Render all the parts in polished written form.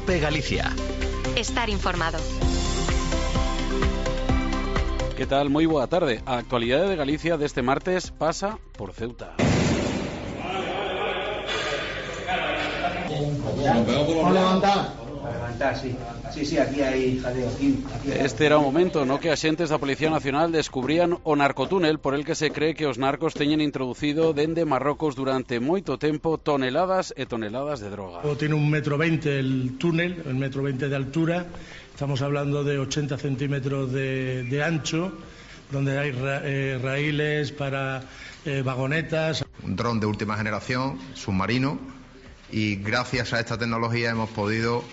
COPE Galicia. Estar informado. ¿Qué tal? Muy buena tarde. A actualidade de Galicia deste martes pasa por Ceuta. Sí, aquí hai jaleo. Este era o momento no que axentes da Policía Nacional descubrían o narcotúnel por el que se cree que os narcos teñen introducido dende Marrocos durante moito tempo toneladas e toneladas de droga. Tiene 1,20 m el túnel, 1,20 m de altura. Estamos hablando de 80 centímetros de ancho, donde hay raíles para vagonetas. Un dron de última generación, submarino, y gracias a esta tecnología hemos podido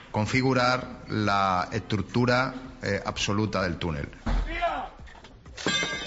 configurar la estructura absoluta del túnel.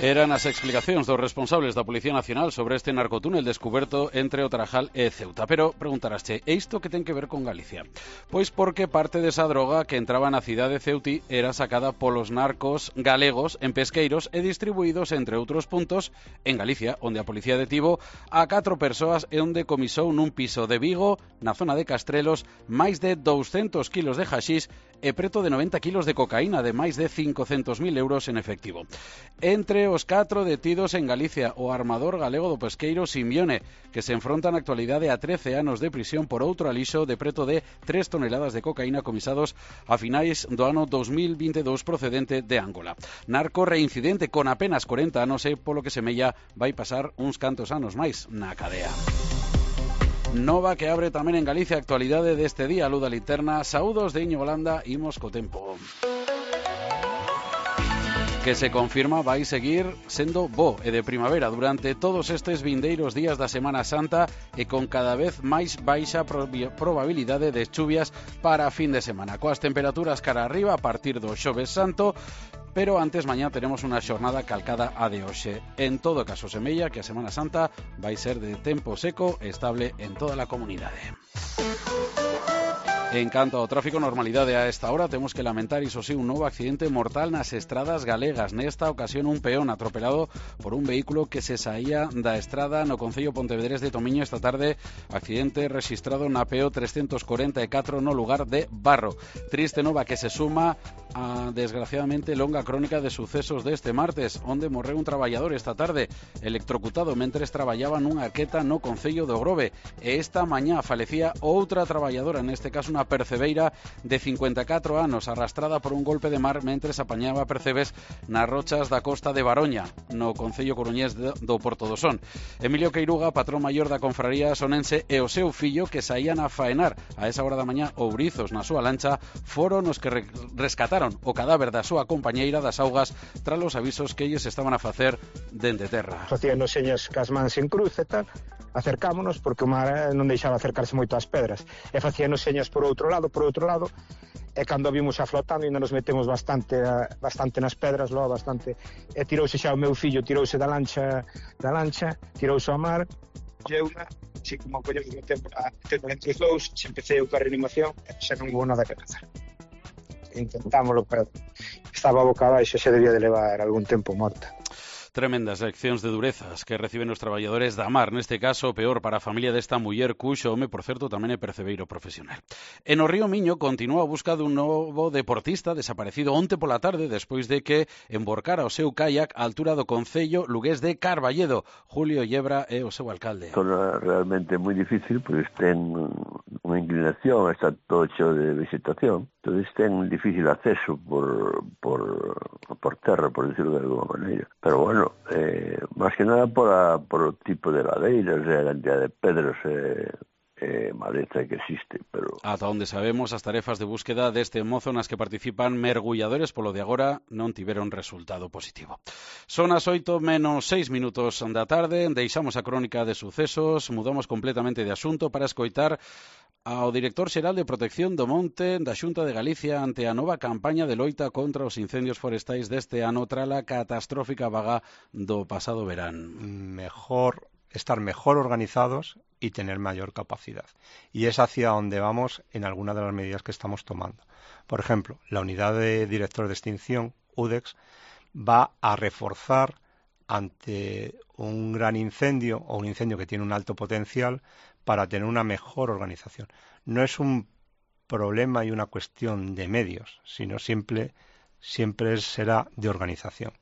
Eran as explicacións dos responsables da Policía Nacional sobre este narcotúnel descuberto entre o Tarajal e Ceuta. Pero preguntarasche, e isto que ten que ver con Galicia? Pois porque parte desa droga que entraba na cidade de Ceuti era sacada polos narcos galegos en pesqueiros e distribuídos entre outros puntos en Galicia, onde a policía detivo a 4 persoas e onde comisou nun piso de Vigo, na zona de Castrelos, máis de 200 kilos de haxís e preto de 90 kilos de cocaína de máis de 500.000 euros en efectivo. Entre os 4 detidos en Galicia, o armador galego do pesqueiro Simeone, que se enfronta na actualidade a 13 anos de prisión por outro alixo de preto de 3 toneladas de cocaína comisados a finais do ano 2022 procedente de Angola. Narco reincidente con apenas 40 anos e polo que semella vai pasar uns cantos anos máis na cadea. Nova que abre tamén en Galicia a actualidade deste día, Luda Linterna. Saúdos de Iñigo Holanda, imos co tempo. Que se confirma vai seguir sendo bo e de primavera durante todos estes vindeiros días da Semana Santa e con cada vez máis baixa probabilidade de chuvias para a fin de semana. Coas temperaturas cara arriba a partir do Xoves Santo, pero antes mañá teremos unha xornada calcada a de hoxe. En todo caso, semella que a Semana Santa vai ser de tempo seco e estable en toda a comunidade. En canto ao tráfico, normalidade a esta hora, temos que lamentar, iso sí, un novo accidente mortal nas estradas galegas. Nesta ocasión, un peón atropelado por un vehículo que se saía da estrada no concello Pontevedrés de Tomiño esta tarde. Accidente registrado na PO 344 no lugar de Barro. Triste nova que se suma a, desgraciadamente, longa crónica de sucesos deste martes, onde morreu un traballador esta tarde, electrocutado mentres traballaba nunha arqueta no concello do Grove. E esta mañá falecía outra traballadora, neste caso unha percebeira de 54 anos, arrastrada por un golpe de mar mentres apañaba percebes nas rochas da costa de Baroña, no concello coruñés do Porto do Son. Emilio Queiruga, patrón maior da confraría sonense, e o seu fillo, que saían a faenar a esa hora da mañá Ourizos na súa lancha, foron os que rescataron o cadáver da súa compañeira das augas tras os avisos que eles estaban a facer dende terra. Facíanos señas cas mans en cruz e tal, acercámonos porque o mar non deixaba acercarse moito ás pedras, e facíanos señas por outro lado, e cando vimos a flotando ainda nos metemos bastante nas pedras, logo bastante, e tirouse xa o meu fillo, tirouse da lancha, tirouse ao mar, lleuna, así como collemos o tempo entre os dous, se empecé a reanimación, xa non hubo nada que facer. Intentámoslo, pero estaba boca abaixo, xa debía de levar algún tempo morta. Tremendas leccións de durezas que reciben os traballadores da mar, neste caso peor para a familia desta muller cuxo home, por certo, tamén é percebeiro profesional. E no Río Miño continúa a busca dun novo deportista desaparecido onte pola tarde despois de que emborcara o seu kayak á altura do concello lugués de Carballedo. Julio Yebra é o seu alcalde. Zona realmente moi difícil, pois ten unha inclinación, está todo cheo de vegetación, entonces ten difícil acceso por terra, por decirlo de alguma maneira. Pero bueno, máis que nada por o tipo de ladeiras e a cantidad de pedras maleza que existe, pero... Ata onde sabemos, as tarefas de búsqueda deste mozo nas que participan mergulladores polo de agora non tiveron resultado positivo. Son as 8 menos 6 minutos da tarde, deixamos a crónica de sucesos, mudamos completamente de asunto para escoitar ao director xeral de Protección do Monte da Xunta de Galicia ante a nova campaña de loita contra os incendios forestais deste ano tras a catastrófica vaga do pasado verán. Estar mejor organizados y tener mayor capacidad. Y es hacia donde vamos en algunas de las medidas que estamos tomando. Por ejemplo, la unidad de directores de extinción, UDEX, va a reforzar ante un gran incendio o un incendio que tiene un alto potencial para tener una mejor organización. No es un problema y una cuestión de medios, sino siempre será de organización.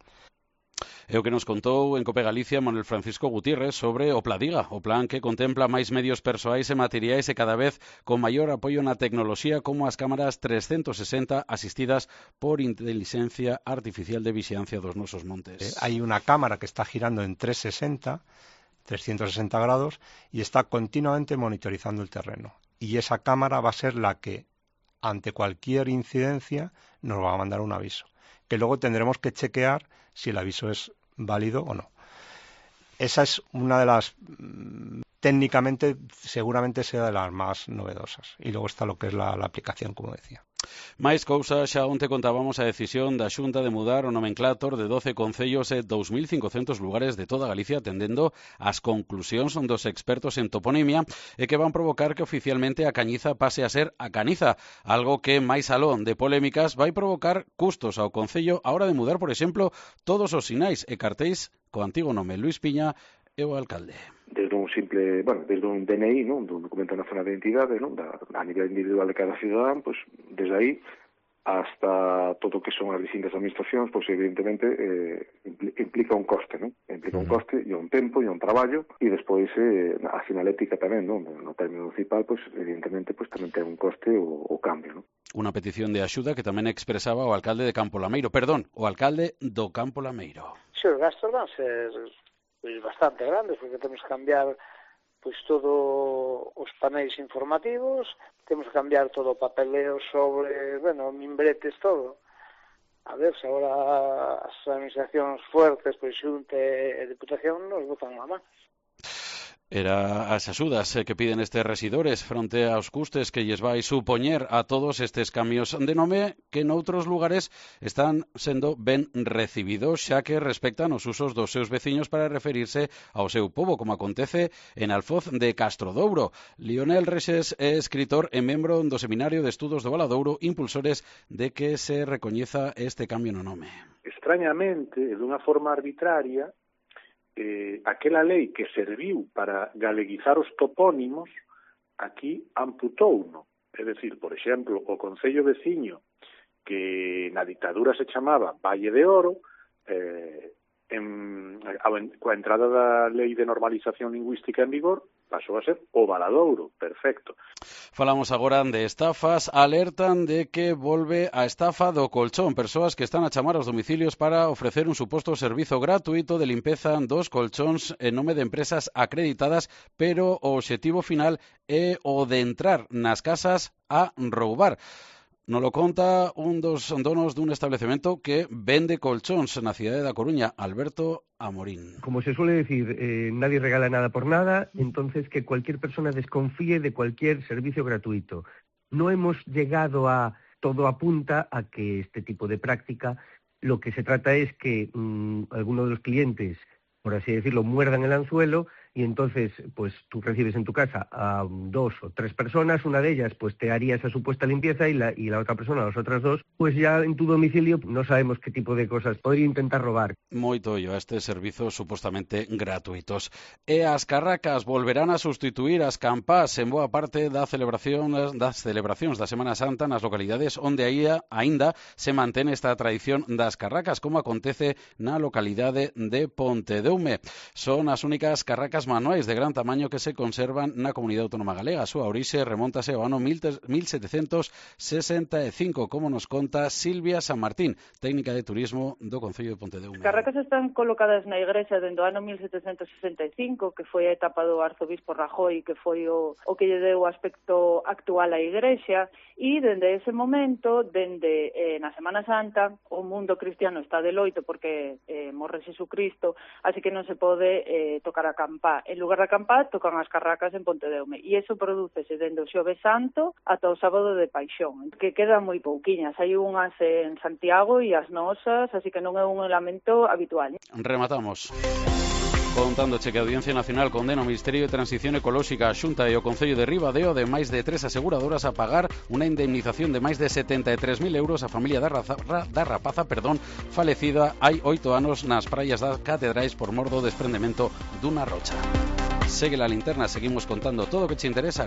É o que nos contou en Cope Galicia Manuel Francisco Gutiérrez sobre o Pladiga, o plan que contempla máis medios persoais e materiais e cada vez con maior apoio na tecnoloxía como as cámaras 360 asistidas por inteligencia artificial de vixiancia dos nosos montes. Hai unha cámara que está girando en 360 grados y está continuamente monitorizando el terreno. Y esa cámara va a ser la que, ante cualquier incidencia, nos va a mandar un aviso, que luego tendremos que chequear si el aviso es válido o no. Esa es una de las, técnicamente, seguramente sea de las más novedosas. Y luego está lo que es la aplicación, como decía. Máis cousas, xa onte contábamos a decisión da Xunta de mudar o nomenclator de 12 concellos e 2.500 lugares de toda Galicia atendendo as conclusións dos expertos en toponimia e que van provocar que oficialmente a Cañiza pase a ser a Caniza, algo que máis alón de polémicas vai provocar custos ao concello a hora de mudar, por exemplo, todos os sinais e cartéis co antigo nome Luis Piña e o alcalde. Desde un simple, desde un DNI, non, dun documento nacional de identidade, non, a nivel individual de cada cidadán, pois desde aí hasta todo o que son as distintas administracións, pois evidentemente implica un coste, non? Implica un coste e un tempo e un traballo e despois a sinalética tamén, non? No término municipal, pois evidentemente pois tamén ten un coste o cambio, non? Unha petición de axuda que tamén expresaba o alcalde de Campo Lameiro, o alcalde do Campo Lameiro. Si, os gastos van ser bastante grandes, porque temos que cambiar pois todo os paneis informativos, temos que cambiar todo o papeleo sobre, mimbretes, todo. A ver, se agora as administracións fuertes, pois Xunta e Diputación nos botan a man. Era as axudas que piden estes residores fronte aos custes que lles vai supoñer a todos estes cambios de nome que noutros lugares están sendo ben recibidos, xa que respectan os usos dos seus veciños para referirse ao seu pobo, como acontece en Alfoz de Castrodouro. Lionel Rexes é escritor e membro do Seminario de Estudos do Valadouro, impulsores de que se recoñeza este cambio no nome. Extrañamente, de unha forma arbitraria, aquela lei que serviu para galeguizar os topónimos aquí amputouno. É dicir, por exemplo, o concello veciño que na dictadura se chamaba Valle de Oro, coa entrada da lei de normalización lingüística en vigor, pasou a ser o Valadouro, perfecto. Falamos agora de estafas, alertan de que volve a estafa do colchón, persoas que están a chamar aos domicilios para ofrecer un suposto servizo gratuito de limpeza dos colchóns en nome de empresas acreditadas, pero o obxectivo final é o de entrar nas casas a roubar. Nos lo conta un dos donos dun establecemento que vende colchóns na cidade da Coruña, Alberto Amorín. Como se suele decir, nadie regala nada por nada, entonces que cualquier persona desconfíe de cualquier servicio gratuito. No hemos llegado a, todo apunta a que este tipo de práctica, lo que se trata es que algunos de los clientes, por así decirlo, muerdan el anzuelo y entonces pues tú recibes en tu casa a 2 o 3 personas, una de ellas pues te haría esa supuesta limpieza y la otra persona, las otras 2, pues ya en tu domicilio no sabemos qué tipo de cosas podría intentar robar. Moito ollo a estes servizos supostamente gratuitos. E as carracas volverán a sustituir as campás en boa parte das celebracións da Semana Santa nas localidades onde aínda se mantén esta tradición das carracas, como acontece na localidade de Pontedeume. Son as únicas carracas manuais de gran tamaño que se conservan na comunidade autónoma galega. A súa orixe remóntase ao ano 1765, como nos conta Silvia San Martín, técnica de turismo do Concello de Pontedeume. As carracas están colocadas na igrexa dende o ano 1765, que foi a etapa do arzobispo Rajoy, que foi o que lle deu o aspecto actual á igrexa, e dende ese momento, dende na Semana Santa, o mundo cristiano está de loito porque morre Jesucristo, así que non se pode tocar a campá. En lugar da campá, tocan as carracas en Pontedeume. E iso prodúcese dende o Xoves Santo ata o sábado de Paixón, que quedan moi pouquiñas. Hai unhas en Santiago e as nosas, así que non é un elemento habitual. Rematamos contándoche que a Audiencia Nacional condena o Ministerio de Transición Ecolóxica, a Xunta e o Concello de Ribadeo de máis de 3 aseguradoras a pagar unha indemnización de máis de 73.000 euros a familia da rapaza falecida hai 8 anos nas praias das Catedrais por mor do desprendemento dunha rocha. Segue la linterna, seguimos contando todo o que te interesa.